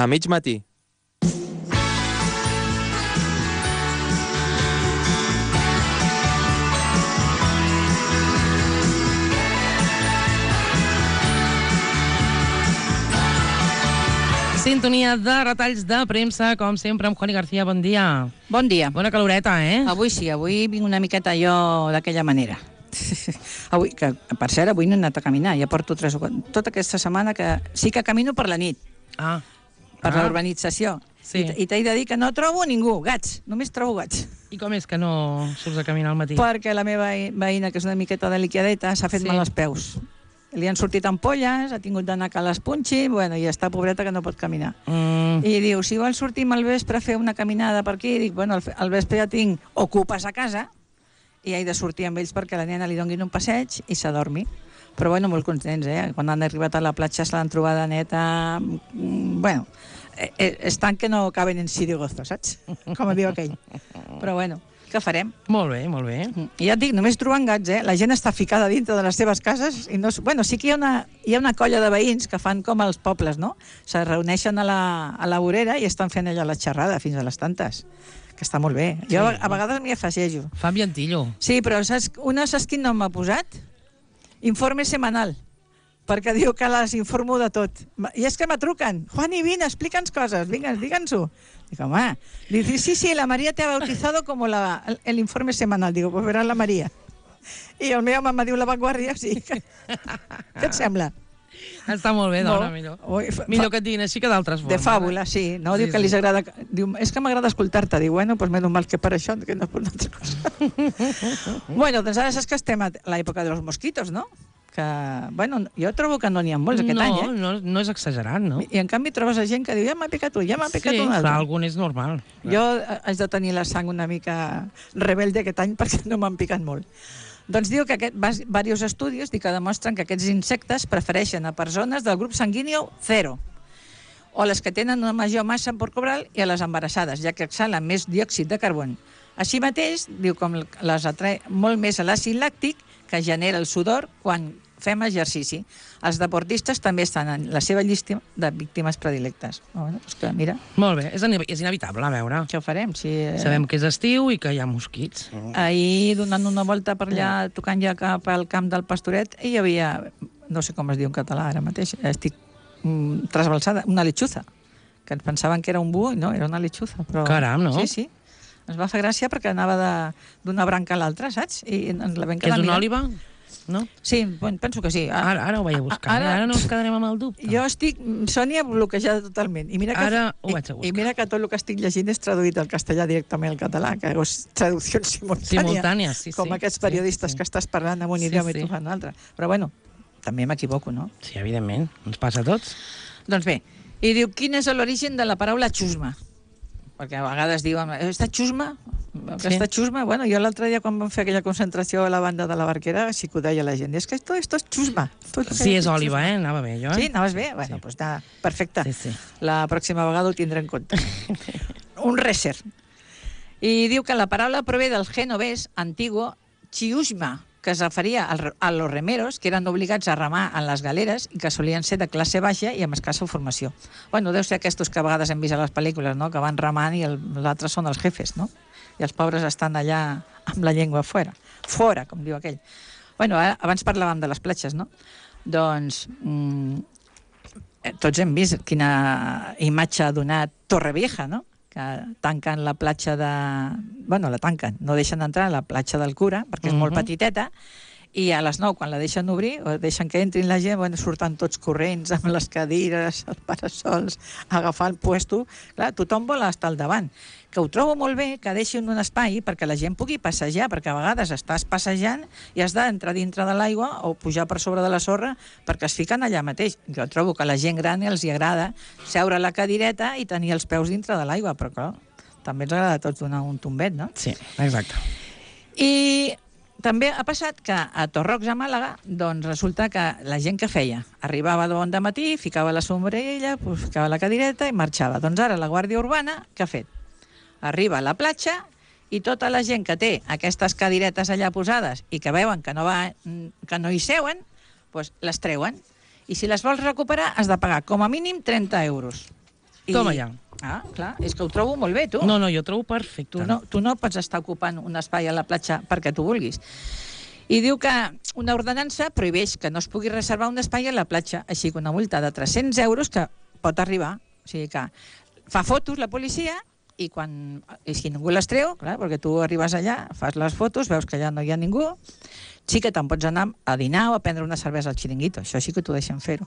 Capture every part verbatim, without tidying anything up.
A mig matí. Sintonia de retalls de premsa, com sempre, amb Juani García. Bon dia. Bon dia. Bona caloreta, eh? Avui sí, avui vinc una miqueta jo d'aquella manera. Avui, que per cert, avui no he anat a caminar, ja porto tres o quatre... Tota aquesta setmana que sí que camino per la nit, Ah. per ah. la urbanització. Sí. I, i t'he de dir que no trobo ningú, gats, només trobo gats. I com és que no surts a caminar al matí? Perquè la meva veïna, que és una miqueta delicadeta, s'ha fet Sí. mal als peus. Li han sortit ampolles, ha tingut d'anar que les punxi, bueno, i està pobreta que no pot caminar. Mm. I diu, si vols sortir al vespre a fer una caminada per aquí, dic, bueno, al, al vespre ja tinc ocupes a casa i he de sortir amb ells perquè la nena li donguin un passeig i s'adormi. Però, bueno, molt contents, eh? Quan han arribat a la platja se l'han trobada neta... Mm, bueno, eh, estan que no caben en sitio gozo, saps? Com diu aquell. Però, bueno, què farem? Molt bé, molt bé. I ja et dic, només trobant gats, eh? La gent està ficada dintre de les seves cases i no... Bueno, sí que hi ha una, hi ha una colla de veïns que fan com als pobles, no? Se reuneixen a la, a la vorera i estan fent allà la xerrada fins a les tantes, que està molt bé. Jo Sí. a vegades m'hi afegeixo. Fa ambientillo. Sí, però saps, una saps quin nom m'ha posat? Informe semanal, perquè diu que les informo de tot. I és que me truquen. Juani, vine, explica'ns coses, vinga, digue'ns-ho. Dic, home, dice, sí, sí, la María te ha bautizado como la, el, el informe semanal. Digo, pues verás la María. I el meu home me diu La Vanguardia, sí. Què et sembla? Està molt bé, dona, Molt. millor. Ui, fa- Millor que et diguin així que d'altres formes. De fàbula, sí. No, Sí, diu que sí. li agrada... Diu, és que m'agrada escoltar-te. Diu, bueno, pues menos mal que per això, que no és per una altra cosa. Bueno, doncs ara saps que estem a l'època dels mosquitos, no? Que, bueno, jo trobo que no n'hi ha molts aquest no, any, eh? No, no és exagerat, no? I en canvi trobes a gent que diu, ja m'ha picat un, ja m'ha picat Sí, un clar, altre. algun és normal. Jo eh, haig de tenir la sang una mica rebelde aquest any perquè no m'han picat molt. Doncs diu que aquest, diversos estudis diu que demostren que aquests insectes prefereixen a persones del grup sanguini zero o les que tenen una major massa corporal i a les embarassades, ja que exhalen més diòxid de carboni. Així mateix, diu com les atrae molt més a l'àcid làctic que genera el sudor quan fem exercici. Els deportistes també estan en la seva llista de víctimes predilectes. Bueno, és que, mira, Molt bé, és, és inevitable, a veure. què ho farem? Si, eh... Sabem que és estiu i que hi ha mosquits. Ahir, donant una volta per allà, tocant ja cap al camp del Pastoret, hi havia, no sé com es diu en català ara mateix, estic mm, trasbalsada, una lechuza, que ens pensaven que era un búho, i no, era una lechuza. Però... Caram, no? Sí, sí. Ens va fer gràcia perquè anava de- d'una branca a l'altra, saps? I ens la vam Que és quedar una mirant. òliba? No? Sí, bueno, penso que sí. Ah, Ara, ara ho vaig a buscar. Ara, ara no ens quedarem amb el dubte. Jo estic, Sònia, bloquejada totalment. I mira que, Ara ho vaig a i, buscar. I mira que tot el que estic llegint és traduït al castellà directament al català, que és traducció simultània. Simultània, sí, sí. Com aquests periodistes Sí, sí. que estàs parlant en un Sí, idioma sí. i tu fan un altre. Però bueno, també m'equivoco, no? Sí, evidentment. Ens passa a tots. Doncs bé, i diu, quin és l'origen de la paraula xusma? Perquè a vegades diuen, aquesta xusma? Aquesta Sí. xusma? Bueno, jo l'altre dia quan vam fer aquella concentració a la banda de la Barquera sí que ho deia la gent. És que esto, esto és xusma. Tot Sí, és òliba, eh? Anava bé, jo. Sí, Eh? anaves bé? Bueno, Sí. doncs està perfecte. Sí, sí. La pròxima vegada ho tindré en compte. Un reser. I diu que la paraula prové del genovès antiguo chiusma, que es referia al- a los remeros, que eren obligats a remar en les galeres i que solien ser de classe baixa i amb escassa formació. Bueno, deu ser aquests que a vegades hem vist a les pel·lícules, no?, que van remant i el- els altres són els jefes, no? I els pobres estan allà amb la llengua fora. Fora, com diu aquell. Bueno, ara, abans parlàvem de les platges, no? Doncs mm, eh, tots hem vist quina imatge ha donat Torrevieja, no?, que tanquen la platja de... Bueno, la tanquen, no deixen entrar a la platja del Cura, perquè és molt Mhm. petiteta, i a les nou, quan la deixen obrir, o deixen que entrin la gent, bueno, surten tots corrents amb les cadires, els parasols, agafar el puesto. Clar, tothom vol estar al davant. Que ho trobo molt bé que deixin un espai perquè la gent pugui passejar, perquè a vegades estàs passejant i has d'entrar dintre de l'aigua o pujar per sobre de la sorra perquè es fiquen allà mateix. Jo trobo que a la gent gran els hi agrada seure a la cadireta i tenir els peus dintre de l'aigua, però clar, també ens agrada a tots donar un tombet, no? Sí, exacte. I també ha passat que a Torrox, a Màlaga, doncs resulta que la gent que feia arribava de bon de matí, ficava la sombrella, pues, ficava la cadireta i marxava. Doncs ara la Guàrdia Urbana, què ha fet? Arriba a la platja i tota la gent que té aquestes cadiretes allà posades i que veuen que no, va, que no hi seuen, doncs les treuen. I si les vols recuperar has de pagar com a mínim trenta euros. I... Toma ja. Ah, clar, és que ho trobo molt bé, tu. No, no, jo ho trobo perfecte. Tu no, tu no pots estar ocupant un espai a la platja perquè tu vulguis. I diu que una ordenança prohibeix que no es pugui reservar un espai a la platja, així que una multa de tres-cents euros que pot arribar. O sigui que fa fotos la policia i quan i si ningú les treu, clar, perquè tu arribes allà, fas les fotos, veus que allà no hi ha ningú, sí que te'n pots anar a dinar o a prendre una cervesa al xiringuito, això sí que t'ho deixen fer-ho,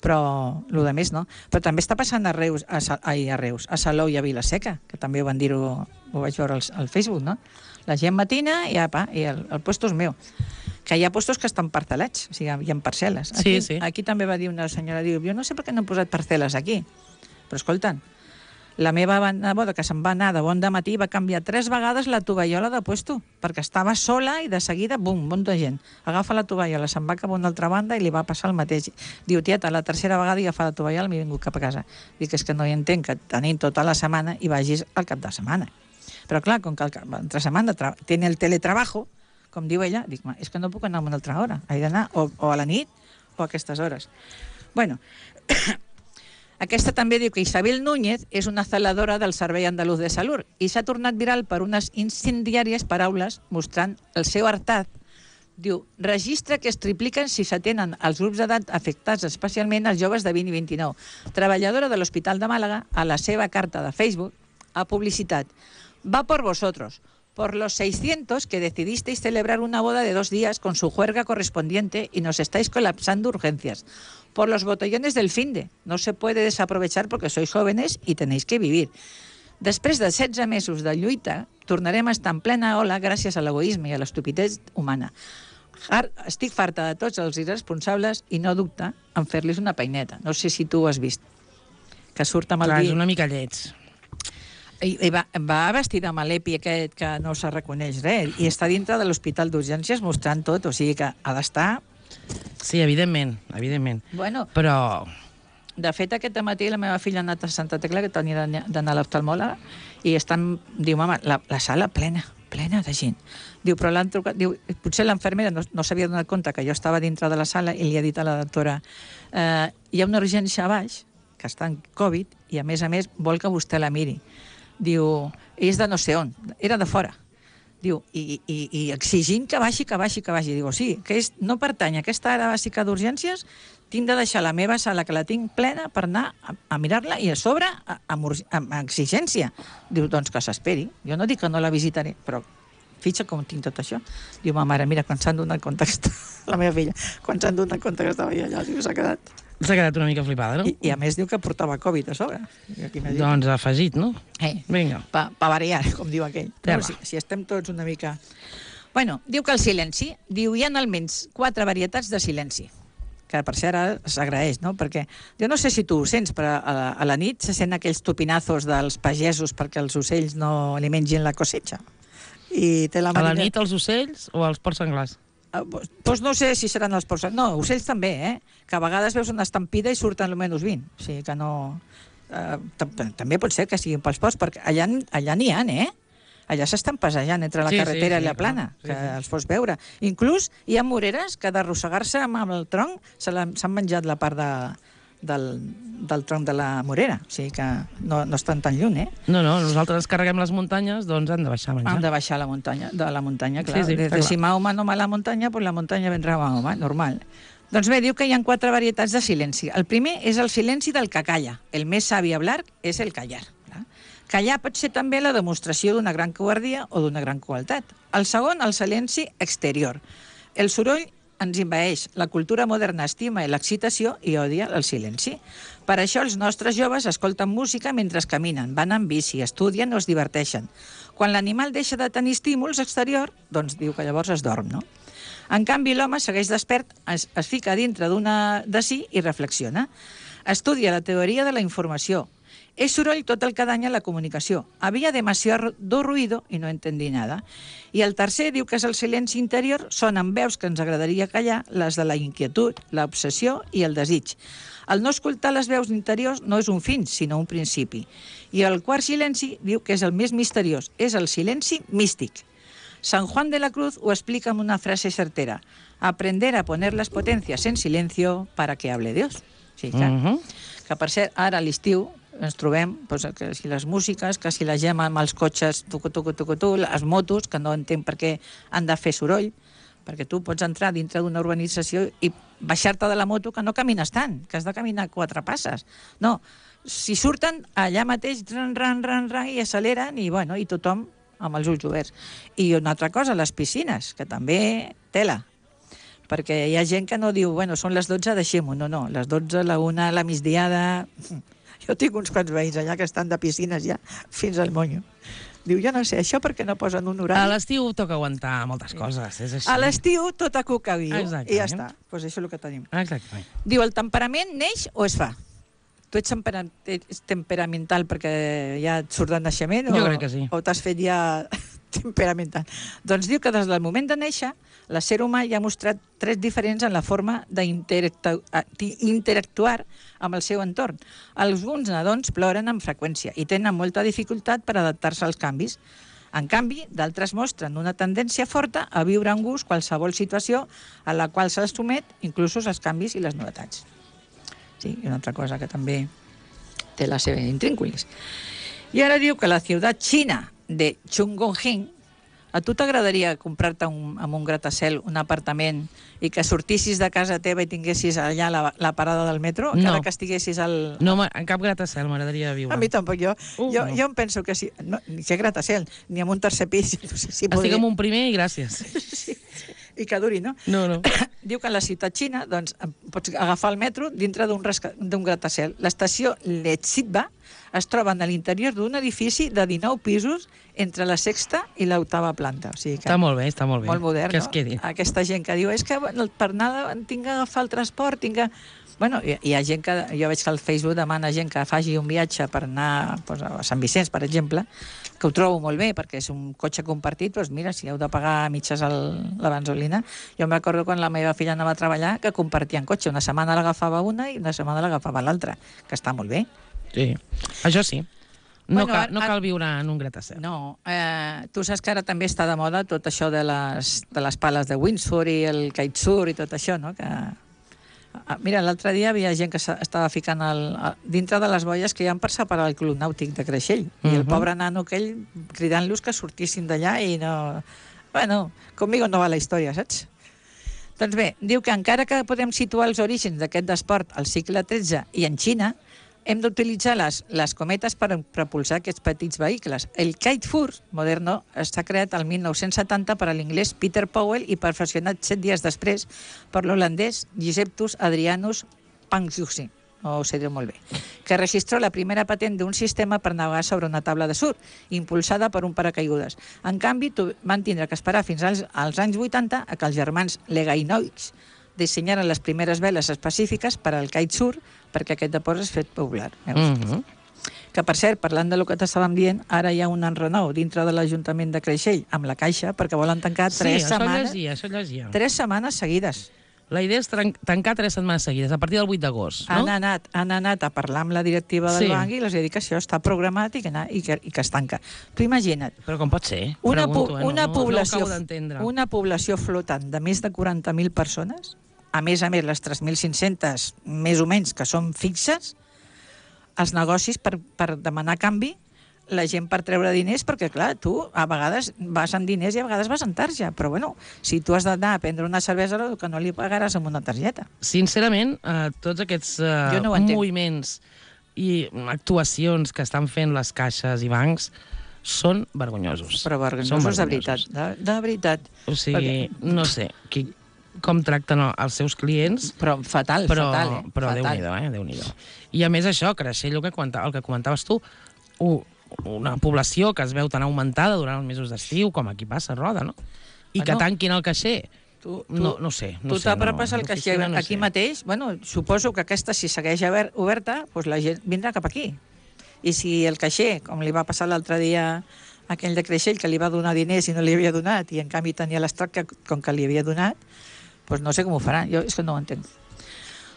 però el de més no. Però també està passant a Reus, a, ai, a Reus, a Salou i a Vilaseca, que també van dir-ho, ho vaig veure al, al Facebook, no? La gent matina i, apa, i el, el puesto és meu. Que hi ha puestos que estan parcel·lats, o sigui, hi ha parcel·les. Aquí, sí, sí. Aquí també va dir una senyora, diu, jo no sé per què no han posat parcel·les aquí, però escolten, la meva neboda, que se'n va anar de bon dematí, va canviar tres vegades la tovallola de puesto, perquè estava sola i de seguida, bum, un munt de gent. Agafa la tovallola, se'n va cap a una altra banda i li va passar el mateix. Diu, tieta, la tercera vegada he agafat la tovallola i m'he vingut cap a casa. Dic, és que no hi entenc que tenim tota la setmana i vagis al cap de setmana. Però clar, com que entre setmana tiene el teletrabajo, com diu ella, dic, és que no puc anar a una altra hora. He d'anar o, o a la nit o a aquestes hores. Bueno, aquesta també diu que Isabel Núñez és una celadora del Servei Andalús de Salut i s'ha tornat viral per unes incendiàries paraules mostrant el seu hartat. Diu, registre que es tripliquen si s'atenen als grups d'edat afectats, especialment els joves de vint i vint-i-nou. Treballadora de l'Hospital de Màlaga, a la seva carta de Facebook, ha publicitat: va por vosotros, por los seiscientos que decidisteis celebrar una boda de dos días con su juerga correspondiente y nos estáis colapsando urgencias. Por los botellones del finde. No se puede desaprovechar porque sois jóvenes y tenéis que vivir. Després de setze mesos de lluita, tornarem a estar en plena ola gràcies a l'egoisme i a l'estupidesa humana. Estic farta de tots els irresponsables i no dubta en fer-los una peineta. No sé si tu ho has vist. Que surt amb el Clar, dit... és una mica lleig. I, i va, va vestida amb l'epi aquest que no se reconeix res i està dintre de l'hospital d'urgències mostrant tot, o sigui que ha d'estar... Sí, evidentment, evidentment. Bueno, però... De fet, aquest matí la meva filla ha anat a Santa Tecla, que tenia d'anar a l'oftalmòloga, i estan, diu, mama, la, la sala plena, plena de gent. Diu, però l'han trucat, diu, potser l'enfermera no, no s'havia donat compte que jo estava dintre de la sala i li ha dit a la doctora, eh, hi ha una urgència a baix, que està en Covid, i a més a més vol que vostè la miri. Diu, és de no sé on, era de fora. Diu, i, i, i exigint que baixi, que baixi, que baixi. Diu, sí, que és, no pertany a aquesta àrea bàsica d'urgències, tinc de deixar la meva sala, que la tinc plena, per anar a, a mirar-la i a sobre amb, amb exigència. Diu, doncs que s'esperi. Jo no dic que no la visitaré, però fitxa com tinc tot això. Diu, ma mare, mira, quan s'han donat compte que la meva filla, quan s'han donat compte que estava allà, diu, s'ha quedat... S'ha quedat una mica flipada, no? I, I a més diu que portava Covid a sobre. Doncs afegit, no? Eh, Vinga. Pa, pa variar, com diu aquell. No, si, si estem tots una mica... Bueno, diu que el silenci, diu, hi ha almenys quatre varietats de silenci, que per cert ara s'agraeix, no? Perquè jo no sé si tu ho sents, però a la, a la nit se sent aquells tupinazos dels pagesos perquè els ocells no li mengin la cosecha. I té la A la marina... nit els ocells o els porcs senglars? Doncs pues no sé si seran els porcs... No, ocells també, eh? Que a vegades veus una estampida i surten almenys vint. O sigui que no... Eh, també pot ser que siguin pels porcs, perquè allà, allà n'hi ha, eh? Allà s'estan passejant entre la sí, carretera sí, sí, i la plana, sí, que sí. els pots veure. Inclús hi ha moreres que d'arrossegar-se amb el tronc s'han menjat la part de, del, del tronc de la morera. O sigui que no, no estan tan lluny, eh? No, no, nosaltres carreguem les muntanyes, doncs han de baixar a menjar. Han de baixar la muntanya, de la muntanya, clar. Sí, sí, Des de si Mahoma no va a la muntanya, pues la muntanya vendrà a Mahoma, normal. Doncs bé, diu que hi ha quatre varietats de silenci. El primer és el silenci del que calla. El més savi hablar és el callar. Callar pot ser també la demostració d'una gran covardia o d'una gran crueltat. El segon, el silenci exterior. El soroll ens envaeix. La cultura moderna estima l'excitació i odia el silenci. Per això els nostres joves escolten música mentre caminen, van en bici, estudien o es diverteixen. Quan l'animal deixa de tenir estímuls exterior, doncs diu que llavors es dorm, no? En canvi, l'home segueix despert, es, es fica dintre d'una de si i reflexiona. Estudia la teoria de la informació. Es soroll tot el que danya la comunicació. Había demasiado ruido i no entendí nada. I el tercer diu que és el silenci interior, sonen veus que ens agradaria callar, les de la inquietud, l'obsessió i el desig. El no escoltar les veus interiors no és un fin, sinó un principi. I el quart silenci diu que és el més misteriós, és el silenci místic. San Juan de la Cruz ho explica amb una frase certera. Aprender a poner las potencias en silencio para que hable Dios. Sí, clar. Uh-huh. Que per cert, ara a l'estiu ens trobem doncs, que si les músiques, que si la Gemma amb els cotxes, tucu, tucu, tucu, tucu, les motos, que no entenc per què han de fer soroll, perquè tu pots entrar dintre d'una urbanització i baixar-te de la moto, que no camines tant, que has de caminar quatre passes. No, si surten allà mateix, ran, ran, ran, ran, i acceleren, i, bueno, i tothom amb els ulls oberts. I una altra cosa, les piscines, que també tela, perquè hi ha gent que no diu, bueno, són les dotze, deixem-ho. No, no, les dotze, la una, la migdiada... Jo tinc uns quants veïns allà que estan de piscines ja fins al monyo. Diu, jo no sé, això perquè no posen un horari. A l'estiu toca aguantar moltes coses, és així. A l'estiu tot a cucaviu, Exactament. i ja està. Doncs pues això és el que tenim. Exactament. Diu, el temperament neix o es fa? Tu ets, tempera ets temperamental perquè ja et surt de naixement? Jo o, crec que sí. O t'has fet ja temperamental? Doncs diu que des del moment de néixer, l'ésser humà ja ha mostrat trets diferents en la forma d'interactuar amb el seu entorn. Alguns nadons ploren amb freqüència i tenen molta dificultat per adaptar-se als canvis. En canvi, d'altres mostren una tendència forta a viure amb gust qualsevol situació a la qual se'ls somet, inclús els canvis i les novetats. Sí, i una altra cosa que també té la seva intrínculis. I ara diu que la ciutat xina de Chongqing, a tu t'agradaria comprar-te un, amb un gratacel un apartament i que sortissis de casa teva i tinguessis allà la, la parada del metro, No. encara que estiguessis al... No, en cap gratacel m'agradaria viure. A mi tampoc, jo, Uh, jo, no. jo em penso que sí, no, ni que gratacel, ni amb un tercer pis, no sé si Estic podria... amb un primer i gràcies. Sí, i que duri, no? No, no. Diu que a la ciutat xina doncs, pots agafar el metro dintre d'un d'un gratacel. L'estació Lechitba es troba a l'interior d'un edifici de dinou pisos entre la sexta i l'octava planta. O sigui que Està molt bé, està molt bé. molt modern, que no? es quedi. Aquesta gent que diu, és que bueno, per anar, tinc que agafar el transport, tinc que... Bueno, hi, hi ha gent que... Jo veig que al Facebook demana gent que faci un viatge per anar pues, a Sant Vicenç, per exemple, que ho trobo molt bé, perquè és un cotxe compartit, doncs mira, si heu de pagar mitges el, la bensolina... Jo em recordo quan la meva filla anava a treballar que compartien cotxe. Una setmana l'agafava una i una setmana l'agafava l'altra, que està molt bé. Sí, això sí. No, Bueno, cal, ara- no cal viure en un gratacel. No, eh, tu saps que ara també està de moda tot això de les, de les pales de Windsor i el kitesurf i tot això, no? Que... Ah, mira, l'altre dia havia gent que s'ha- estava ficant el, a- dintre de les boies que hi ha per separar el club nàutic de Creixell. I el Mhm. pobre nano aquell cridant-los que sortissin d'allà i no... Bueno, conmigo no va la història, saps? Doncs bé, diu que encara que podem situar els orígens d'aquest esport al segle tretze i en Xina, hem d'utilitzar les, les cometes per propulsar aquests petits vehicles. El kitesurf moderno està creat el mil nou-cents setanta per a l'inglès Peter Powell i perfeccionat set dies després per l'holandès Giuseppus Adrianus Pangjussi, no ho sé dir molt bé, que registró la primera patent d'un sistema per navegar sobre una taula de surf, impulsada per un paracaigudes. En canvi, tu, van tindre que esperar fins als, als anys vuitanta a que els germans Legainoix dissenyaren les primeres veles específiques per al kitesurf perquè aquest depòs és fet popular. Veus? Mm -hmm. Que, per cert, parlant del que t'estàvem dient, ara hi ha un enrenou dintre de l'Ajuntament de Creixell amb la Caixa perquè volen tancar Sí, tres això setmanes, llegia, això llegia. tres setmanes seguides. La idea és tran- tancar tres setmanes seguides, a partir del vuit d'agost, no? Han anat, han anat a parlar amb la directiva del Sí. banc i els ha dit que això està programat i que, na- i que, i que es tanca. Tu imagina't, Però com pot ser? una, Pregunto, po eh? una, no, població, no ho acabo d'entendre. una població flotant de més de quaranta mil persones, a més a més les tres mil cinc-centes més o menys que són fixes, els negocis per, per demanar canvi, la gent per treure diners, perquè clar, tu a vegades vas amb diners i a vegades vas en tarja, però bueno, si tu has d'anar a prendre una cervesa, el que no li pagaràs amb una targeta. Sincerament, eh, tots aquests eh, Jo no ho entenc. moviments i actuacions que estan fent les caixes i bancs són vergonyosos. Però vergonyosos Són de veritat, de, de veritat. O sigui, no sé qui, com tracten els seus clients, Però fatal, però, fatal, eh? però fatal. Déu-n'hi-do, eh? Déu-n'hi-do. I a més això, Creixell, el que, comenta, el que comentaves tu, u, una població que es veu tan augmentada durant els mesos d'estiu, com aquí passa a Roda, no? I que Bueno, tanquin el caixer. Tu, tu, No, no sé. No tu sé, t'apropes no, al caixer l'oficina no aquí sé. mateix, bueno, suposo que aquesta, si segueix ober- oberta, doncs la gent vindrà cap aquí. I si el caixer, com li va passar l'altre dia a aquell de Creixell, que li va donar diners i no li havia donat, i en canvi tenia l'estoc que, com que li havia donat, doncs no sé com ho faran, jo és que no ho entenc.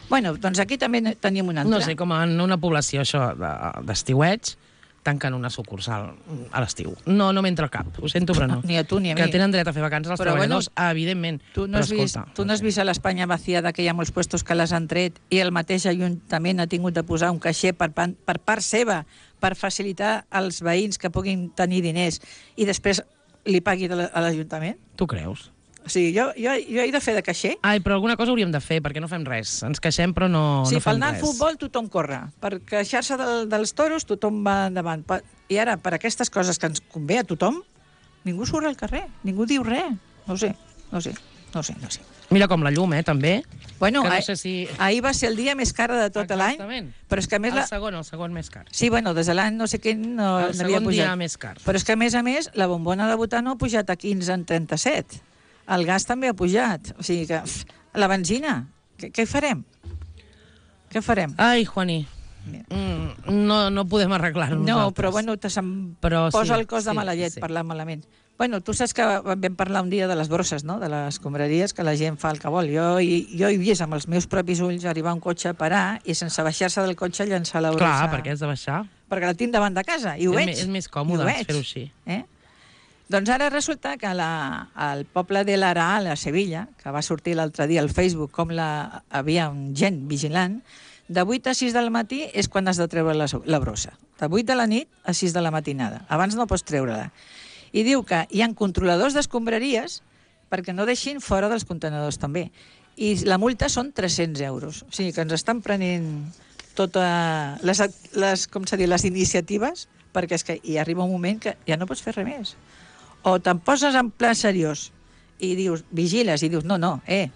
Bueno, doncs aquí també tenim una altra. No sé, com en una població això de- d'estiueig, tanquen una sucursal a l'estiu. No, no m'entra cap, ho sento, però no. Ni a tu ni a mi. Que tenen dret a fer vacances els Però, treballadors, bueno, evidentment. Tu no, però, has vist, escolta, tu no has vist a l'Espanya vaciada que hi ha molts puestos que les han tret i el mateix Ajuntament ha tingut de posar un caixer per, pan- per part seva per facilitar als veïns que puguin tenir diners i després li pagui de la- a l'Ajuntament? Tu creus? O sigui, jo, jo, jo he de fer de caixer. Ai, però alguna cosa hauríem de fer, perquè no fem res. Ens queixem, però no, Sí, no per fem anar al res. futbol tothom corre. Per queixar-se del, dels toros tothom va endavant. Per- I ara, per aquestes coses que ens convé a tothom, ningú surt al carrer, ningú diu res. No ho sé, no ho sé, no ho sé, no ho sé. Mira com la llum, eh, també. Bueno, Que no ah- sé si- ahir va ser el dia més car de tot l'any, Exactament. però és que a més... El La... segon, el segon més car. Sí, bueno, des de l'any no sé què no El n'havia segon pujat. dia més car. Però és que, a més a més, la bombona de butano ha pujat a quinze en trenta-set. El gas també ha pujat. O sigui que... pff, la benzina, què, què farem? Què farem? Ai, Juani, mm, no, no podem arreglar-ho No, nosaltres. però bueno, te se'm Però posa sí, el cos de sí, mala llet sí. parlar malament. Bueno, tu saps que vam parlar un dia de les brosses, no?, de les escombraries, que la gent fa el que vol. Jo, i, jo he vist amb els meus propis ulls arribar un cotxe a parar i sense baixar-se del cotxe llançar la brossa. Clar, perquè has de baixar. Perquè la tinc davant de casa i ho És veig. me- és més i còmode ho veig, fer-ho així. Eh? Doncs ara resulta que la, al poble de l'Araal, a Sevilla, que va sortir l'altre dia al Facebook com la, havia un gent vigilant, de vuit a sis del matí és quan has de treure la, la brossa. De vuit de la nit a sis de la matinada. Abans no pots treure-la. I diu que hi ha controladors d'escombraries perquè no deixin fora dels contenedors també. I la multa són tres-cents euros. O sigui que ens estan prenent totes les, les, com s'ha dit, les iniciatives, perquè és que hi arriba un moment que ja no pots fer res més. O te'n poses en pla seriós i dius, vigiles, i dius, no, no, eh,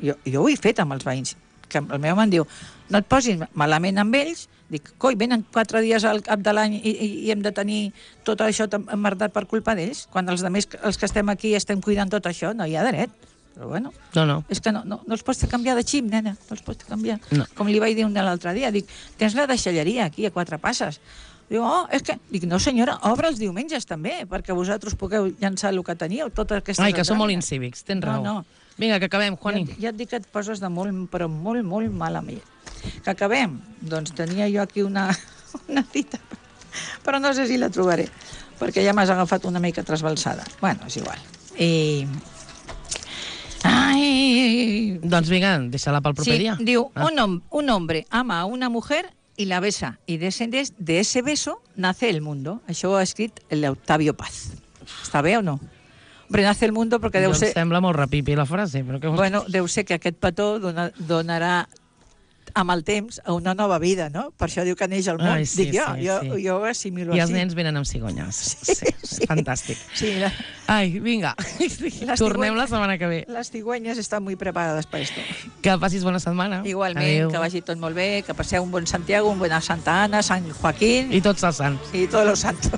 jo, jo ho he fet amb els veïns, que el meu home em diu, no et posis malament amb ells, dic, coi, venen quatre dies al cap de l'any i, i, i hem de tenir tot això emmerdat per culpa d'ells, quan els altres, els que estem aquí estem cuidant tot això, no hi ha dret. Però bueno, No, no. és que no, no, no els pots canviar de xip, nena, no els pots canviar. No. Com li vaig dir un de l'altre dia, dic, tens la deixalleria aquí a quatre passes. Diu, oh, és que... Dic, no senyora, obre els diumenges també, perquè vosaltres pugueu llançar el que teníeu, totes aquestes... Ai, que som molt entranyes. incívics, tens No, raó. no. Vinga, que acabem, Juani. Ja, ja et dic que et poses de molt, però molt, molt mal amb ell. Que acabem? Doncs tenia jo aquí una, una cita, però no sé si la trobaré, perquè ja m'has agafat una mica trasbalsada. Bueno, és igual. I... Ai... Doncs vinga, deixa-la pel proper Sí, dia. diu, Ah. un, hom- un hombre ama a una mujer y la besa, y de ese, de ese beso nace el mundo. Això ho ha escrit l'Octavio Paz. Està bé o no? Hombre, nace el mundo perquè deu Jo em ser... sembla molt rapipi la frase, però què vols Bueno, deu ser que aquest petó dona, donarà amb el temps a una nova vida, no? Per això diu que neix al món. Ai, sí, Dic jo, sí, jo, sí. jo ho assimilo I així. els nens venen amb cigonyes. Sí, sí, sí. fantàstic. Sí, la, Ai, vinga, Les tornem la cigonyes- setmana que ve. les cigüeñas estan muy preparadas para esto. Que passis bona setmana. Igualment, Adéu. que vagi tot molt bé, que passeu un bon Santiago, un bon Santa Ana, Sant Joaquín I tots els sants. y todos los santos.